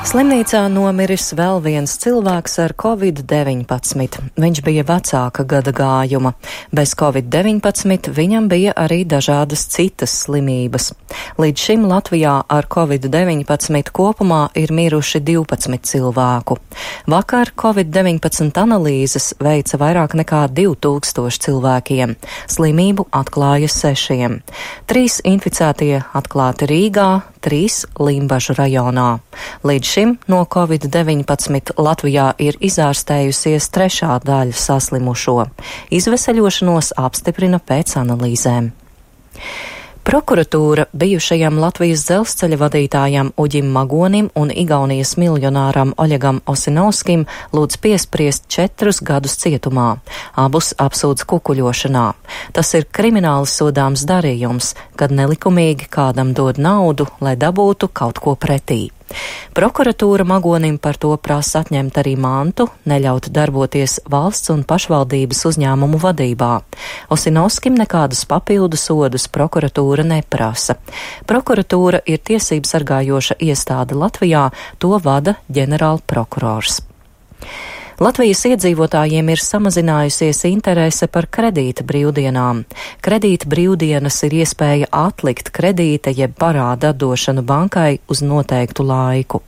Slimnīcā nomiris vēl viens cilvēks ar Covid-19. Viņš bija vecāka gada gājuma. Bez Covid-19 viņam bija arī dažādas citas slimības. Līdz šim Latvijā ar Covid-19 kopumā ir miruši 12 cilvēku. Vakar Covid-19 analīzes veica vairāk nekā 2000 cilvēkiem. Slimību atklāja 6. 3 inficētie atklāti Rīgā, 3 Limbažu rajonā. Līdz šim no Covid-19 Latvijā ir izārstējusies 3. daļa saslimušo. Izveseļošanos apstiprina pēc analīzēm. Prokuratūra bijušajam Latvijas dzelzceļa vadītājam Uģim Magonim un Igaunijas miljonāram Oļegam Osinovskim lūdz piespriest 4 gadus cietumā. Abus apsūdz kukuļošanā. Tas ir krimināli sodāms darījums, kad nelikumīgi kādam dod naudu, lai dabūtu kaut ko pretī. Prokuratūra Magonim par to prasa atņemt arī mantu, neļaut darboties valsts un pašvaldības uzņēmumu vadībā. Osinovskim nekādus papildu sodus prokuratūra neprasa. Prokuratūra ir tiesību sargājoša iestāde Latvijā, to vada ģenerālprokurors. Latvijas iedzīvotājiem ir samazinājusies interese par kredīta brīvdienām. Kredīta brīvdienas ir iespēja atlikt kredīta jeb parāda atdošanu bankai uz noteiktu laiku.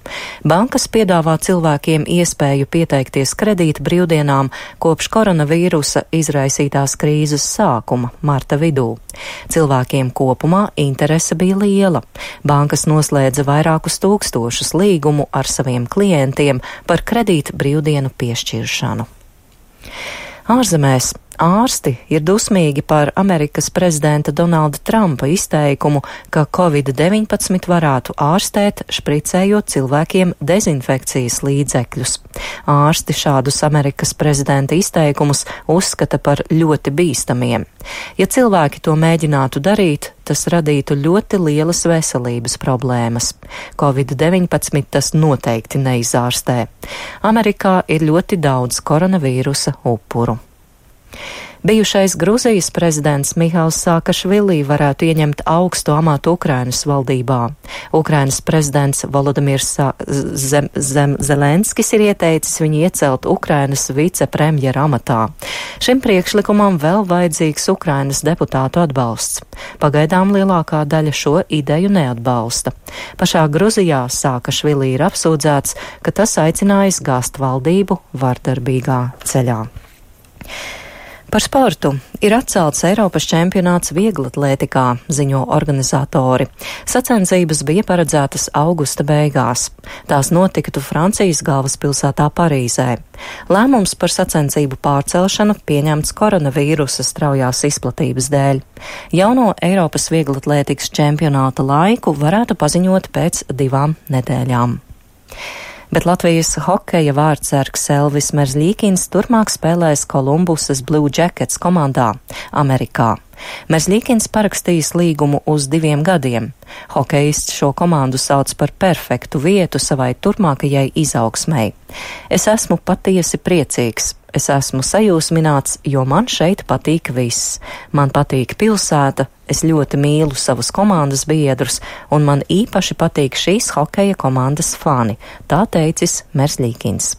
Bankas piedāvā cilvēkiem iespēju pieteikties kredīta brīvdienām kopš koronavīrusa izraisītās krīzes sākuma, marta vidū. Cilvēkiem kopumā interese bija liela. Bankas noslēdza vairākus tūkstošus līgumu ar saviem klientiem par kredīta brīvdienu piešķiršanu. Ārzemēs ārsti ir dusmīgi par Amerikas prezidenta Donalda Trumpa izteikumu, ka Covid-19 varētu ārstēt, špricējot cilvēkiem dezinfekcijas līdzekļus. Ārsti šādus Amerikas prezidenta izteikumus uzskata par ļoti bīstamiem. Ja cilvēki to mēģinātu darīt, tas radītu ļoti lielas veselības problēmas. Covid-19 tas noteikti neizārstē. Amerikā ir ļoti daudz koronavīrusa upuru. Bijušais Gruzijas prezidents Mihails Saakašvili varētu ieņemt augstu amatu Ukrainas valdībā. Ukrainas prezidents Volodimirs Zelenskis ir ieteicis viņu iecelt Ukrainas vicepremjera amatā. Šim priekšlikumam vēl vajadzīgs Ukrainas deputātu atbalsts. Pagaidām lielākā daļa šo ideju neatbalsta. Pašā Gruzijā Saakašvili ir apsūdzēts, ka tas aicinājis gāzt valdību vardarbīgā ceļā. Par sportu ir atcelts Eiropas čempionāts vieglatlētikā, ziņo organizatori. Sacensības bija paredzētas augusta beigās. Tās notiktu Francijas galvaspilsētā Parīzē. Lēmums par sacensību pārcelšanu pieņemts koronavīrusa straujās izplatības dēļ. Jauno Eiropas vieglatlētikas čempionāta laiku varētu paziņot pēc 2 nedēļām. Bet Latvijas hokeja vārdsargs Elvis Merzļīkins turpmāk spēlēs Kolumbusas Blue Jackets komandā Amerikā. Merzļīkins parakstījis līgumu uz 2 gadiem. Hokejists šo komandu sauc par perfektu vietu savai turpmākajai izaugsmei. Es esmu patiesi priecīgs. Es esmu sajūsmināts, jo man šeit patīk viss. Man patīk pilsēta, es ļoti mīlu savus komandas biedrus, un man īpaši patīk šīs hokeja komandas fani, tā teicis Merzļīkins.